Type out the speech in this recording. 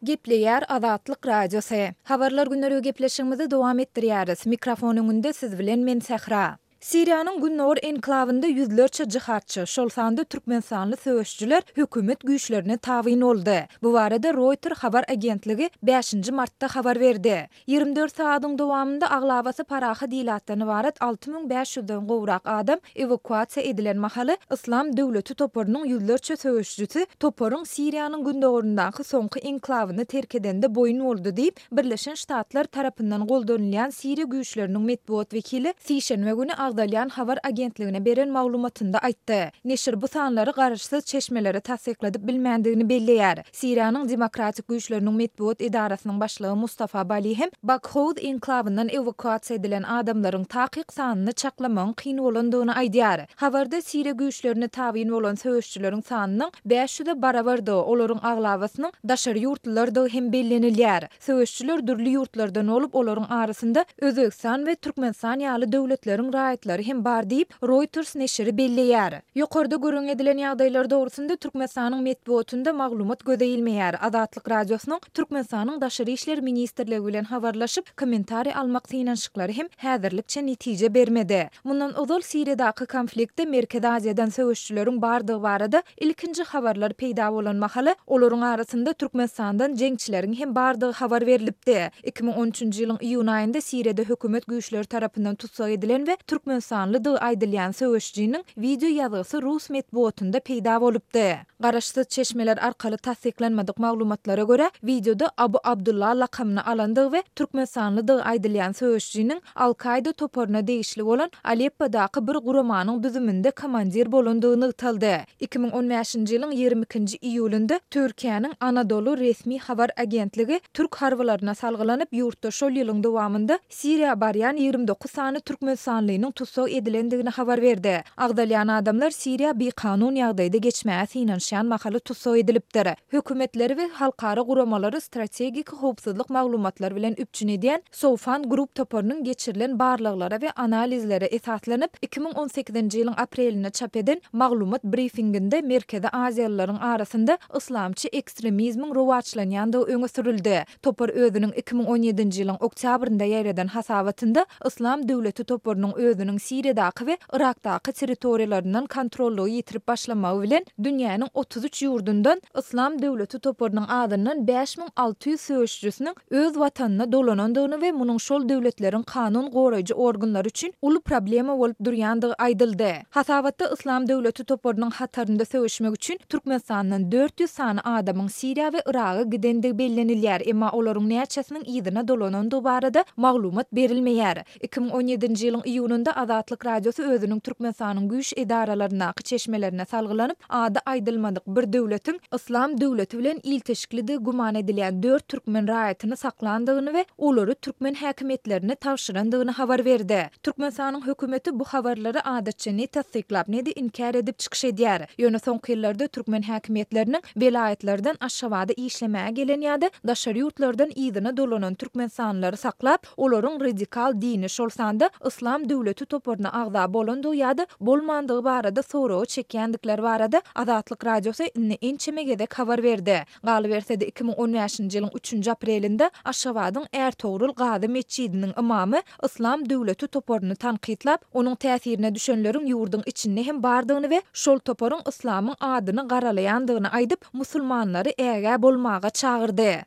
Gepleýär Azatlyk Radiosy. Habarlar gündeligi gepleşigimizi dowam etdirýäris. Mikrofon öňünde siz bilen men Sähra. Siriýanyň gündogar enklawynda ýüzlerçe jihadçy, şol sanda türkmenistanly söweşijiler hökümet güýçlerine tabyn boldy. Bu barada Roýter habar agentligi bäşinji martda habar berdi. 24 sagadyň dowamynda aglabasy parahat ilatdan ybarat 6500 den gowrak adam ewakuasiýa edilen mahaly, Yslam döwleti toparynyň ýüzlerçe söweşijisi toparyň Siriýanyň gündogaryndaky soňky enklawyny terk edende boýun boldy diýip, Birleşen Ştatlar tarapyndan goldanylýan Siriýa güýçleriniň metbugat wekili sişenbe güni agzalýan habar agentligine beren maglumatynda aýtdy. Neşir bu sanlary garaşsyz çeşmelere tassykladyp bilmändigini belleýär. Siriýanyň Demokratik güýçleriniň metbugat edarasynyň başlygy Mustafa Bali hem Bakhouz enklawyndan ewakuasiýa edilen adamlaryň takyk sanyny çaklamagyň kyn bolandygyny aýdýar. Habarda Siriýa güýçlerine tabyn bolan söweşijileriň sanynyň 500-e barabardygy, olaryň aglabasynyň daşary ýurtlulardygy hem bellenilýär. Söweşijiler dürli ýurtlardan bolup, olaryň arasynda Özbegistan we Türkmenistan ýaly döwletleriň raýatlary hem bar diýip, Reuters neşiri belleýär. Ýokarda gürrüň edilen ýagdaýlar dogrusynda Türkmenistanyň metbugatynda maglumat göze ilmeýär. Azatlyk Radiosynyň Türkmenistanyň Daşary işler ministrligi bilen habarlaşyp, kommentariý almak synanyşyklary hem häzirlikçe netije bermedi. Mundan ozal Siriýadaky konfliktde Merkezi Aziýadan söweşijileriň bardygy barada Ilkinji habarlar peýda bolan mahaly, olaryň arasynda Türkmenistandan jeňçileriň hem bardygy habar berlipdi. 2013-nji ýylyň iýun aýynda Siriýada hökümet güýçleri tarapyndan tussag edilen we türkmenistanlydygy aýdylýan söweşijiniň wideo ýazgysy rus metbugatynda peýda bolupdy. Garaşsyz çeşmeler arkaly tassyklanmadyk maglumatlara görä, wideoda Abu Abdullah lakamyny alandygy we türkmenistanlydygy aýdylýan söweşijiniň Al-Kaýda toparyna degişli bolan Aleppodaky bir guramanyň düzüminde komandir bolandygy nygtaldy. 2015-nji ýylyň 22-nji iýulynda Türkiýäniň Anadolu resmi habar agentligi türk harbylaryna salgylanyp, ýurtda şol ýylyň dowamynda Siriýa barýan 29 sany türkmenistanlynyň tussag edilendigini habar berdi. Agzalýan adamlar Siriýa bikanun ýagdaýda geçmäge synanyşýan mahaly tussag edilipdir. Hökümetleri we halkara guramalary strategik howpsuzlyk maglumatlary bilen üpjün edýän Soufan Group toparynyň geçirilen barlaglara we analizlere esaslanyp, 2018-nji ýylyň aprelinde çap eden maglumat brifinginde Merkezi aziýalylaryň arasynda yslamçy ekstremizmiň rowaçlanýandygy öňe sürüldi. Topar özüniň 2017-nji ýylyň oktýabrynda ýaýradan hasabatynda Yslam döwleti toparynyň özüniň Siriýadaky we Yrakdaky territoriýalaryndan kontrollygy ýitirip başlamagy bilen dünýäniň 33 ýurdundan Yslam döwleti toparynyň azyndan 5600 söweşijisiniň öz watanyna dolanandygyny we munuň şol döwletleriň kanun goraýjy organlary üçin uly problema bolup durýandygy aýdyldy. Hasabatda Yslam döwleti toparynyň hatarynda söweşmek üçin Türkmenistandan 400 sany adamyň Siriýa we Yraga gidendigi bellenilýär, emma olaryň näçesiniň yzyna dolanandygy barada maglumat berilmeýär. 2017-nji ýylyň iýunynda Azatlyk Radiosy özüniň Türkmenistanyň güýç edaralaryndaky çeşmelerine salgylanyp, ady aýdylmadyk bir döwletiň Yslam döwleti bilen ilteşiklidigi güman edilýän dört türkmen raýatyny saklandygyny we olary türkmen häkimiýetlerine tabşyrandygyny habar berdi. Türkmenistanyň hökümeti bu habarlary adatça ne tassyklap, ne-de inkär edip çykyş edýär. Ýöne soňky ýyllarda türkmen häkimiýetleriniň welaýatlardan Aşgabada işlemäge gelen ýa-da daşary ýurtlardan yzyna dolanan türkmenistanlylary saklap, olaryň radikal dini, şol sanda Yslam döwleti toparyna agza bolandygy ýa-da bolmandygy barada soraga çekýändikleri barada Azatlyk Radiosy indi ençeme gezek habar berdi. Galyberse-de, 2015-nji ýylyň üçünji aprelinde Aşgabadyň Ärtogrul Gazy metjidiniň ymamy Yslam döwleti toparyny tankytlap, onuň täsirine düşenleriň ýurduň içinde hem bardygyny we şol toparyň yslamyň adyny garalaýandygyny aýdyp, musulmanlary ägä bolmaga çagyrdy.